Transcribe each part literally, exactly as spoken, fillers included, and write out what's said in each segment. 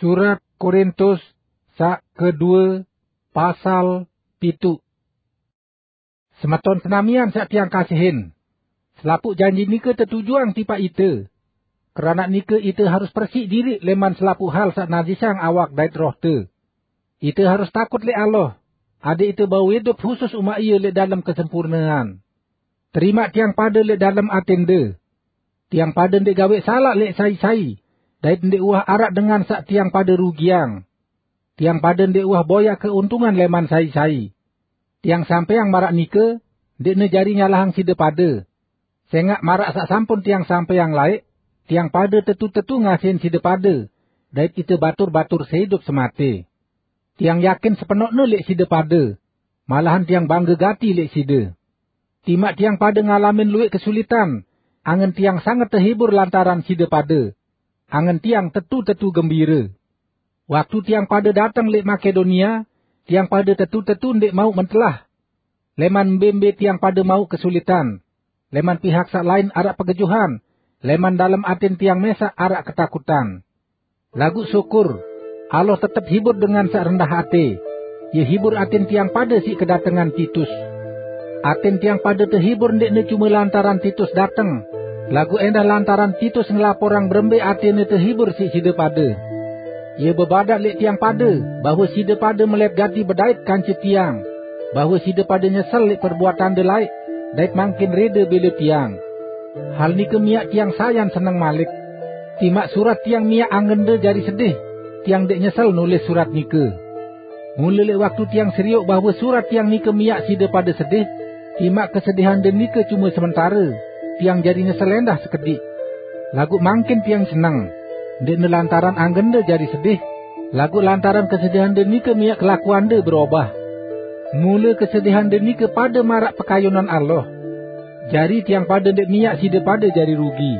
Surat Korintus sak kedua, pasal pitu. Semeton senamian sak tiang kasihin. Selapuq janji nike tetujuang tipaq ite. Keranaq nike ite harus persik diriq leman selapuq hal saq najisang awak dait rohte. Ite harus takut leq Allah, adeq ite bau idup husus umaq Ie leq dalem kesempurnean. Terimaq tiang pade leq dalem atende. Tiang pade ndeq gaweq salaq leq sai-sai, dait ndeq uwah araq dengan saq tiang pade rugiang. Tiang pade ndeq uwah boyaq keuntungan leman sai-sai. Tiang sampeang maraq nike, ndeqne jari nyalahang side pade. Sengaq maraq saq sampun tiang sampeang laeq, tiang pade tetu-tetu ngasihin side pade, dait ite batur-batur seidup semate. Tiang yakin sepenoqne leq side pade, malahan tiang bangge gati leq side. Timaq tiang pade ngalamin lueq kesulitan, angen tiang sanget tehibur lantaran side pade. Angen tiang tetu-tetu gembire. Waktu tiang pade dateng leq Makedonia, tiang pade tetu-tetu ndeq mauq mentelah. Leman mbe-mbe tiang pade mauq kesulitan. Leman pihak saq lain araq pegejuhan, leman dalem atin tiang mesaq araq ketakutan. Laguq syukur, Allah tetep hibur dengan saq rendah ate. Ie hibur atin tiang pade siq kedatengan Titus. Atin tiang pade tehibur ndeqne cume lantaran Titus dateng, laguq endah lantaran Titus ngelaporang berembe atene tehibur siq side pade. Ie bebadaq leq tiang pade bahwe side pade melet gati bedait kance tiang, bahwe side pade nyesel leq perbuatande laeq, dait mangkin rede bele tiang. Hal nike miaq tiang sayan seneng malik. Timaq surat tiang miaq angende jari sedih, tiang ndeq nyesel nulis surat nike. Mule leq waktu tiang serioq bahwe surat tiang nike miaq side pade sedih, timaq kesedihande nike cume sementare, tiang jari nyesel endah sekediq. Laguq mangkin tiang seneng, ndeqne lantaran angende jari sedih, laguq lantaran kesedihande nike miaq kelakuande berobah. Mule kesedihande nike pade maraq pekayunan Allah. Jari tiang pade ndeq miaq side pade jari rugi.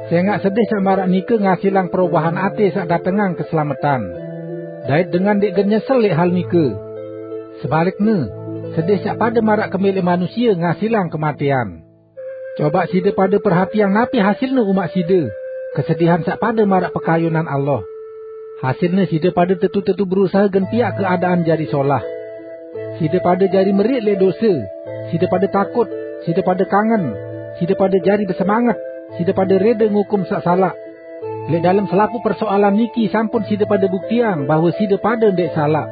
Sengaq sedih saq maraq nike ngasilang perobahan ate saq datengang keselametan. Dait dengan ndeq gen nyesel leq hal nike. Sebalikne, sedih saq pade maraq kembe leq manusie ngasilang kematean. Cobaq side pade perhatiang napi hasilne umaq side, kesedihan saq pade maraq pekayunan Allah. Hasilne side pade tetu-tetu berusahe gen piaq keadaan jari solah. Side pade jari meriq leq dose, side pade takut, side pade kangen, side pade jari besemanget, side pade rede ngukum saq salaq. Leq dalem selapuq persoalan niki sampun side pade buktiang bahwe side pade ndeq salaq.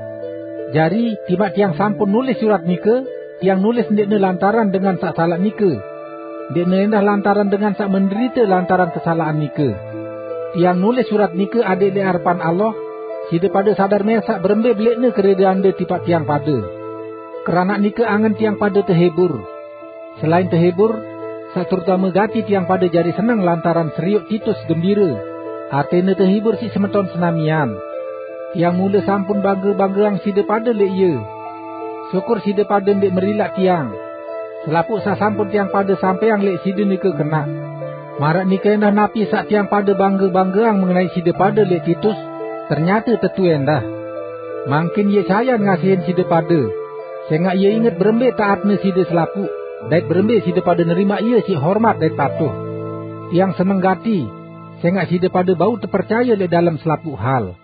Jari, timaq tiang sampun nulis surat nike, tiang nulis ndeqne lantaran dengan saq salaq nike. Ndeqne endah lantaran dengan saq menderite lantaran kesalaqan nike. Tiang nulis surat nike adeq leq arepan Allah, side pade sadar mesaq berembe beleqne keredeande tipaq tiang pade. Keranaq nike angen tiang pade tehibur. Selain tehibur, saq terutame gati tiang pade jari seneng lantaran serioq Titus gembire. Atene tehibur siq semeton senamian. Tiang mule sampun bangge-banggeang side pade leq ie. Syukur side pade ndeq merilaq tiang. Selapuq saq sampun tiang pade sampeang leq side nike kenaq. Maraq nike endah napi saq tiang pade bangge-banggeang mengenai side pade leq Titus, ternyate tetu endah. Mangkin ie sayan ngasihin side pade, sengaq ie inget berembe taatne side selapuq, dait berembe side pade nerimaq ie siq hormat dait patuh. Tiang seneng gati, sengaq side pade bau tepercaye leq dalem selapuq hal.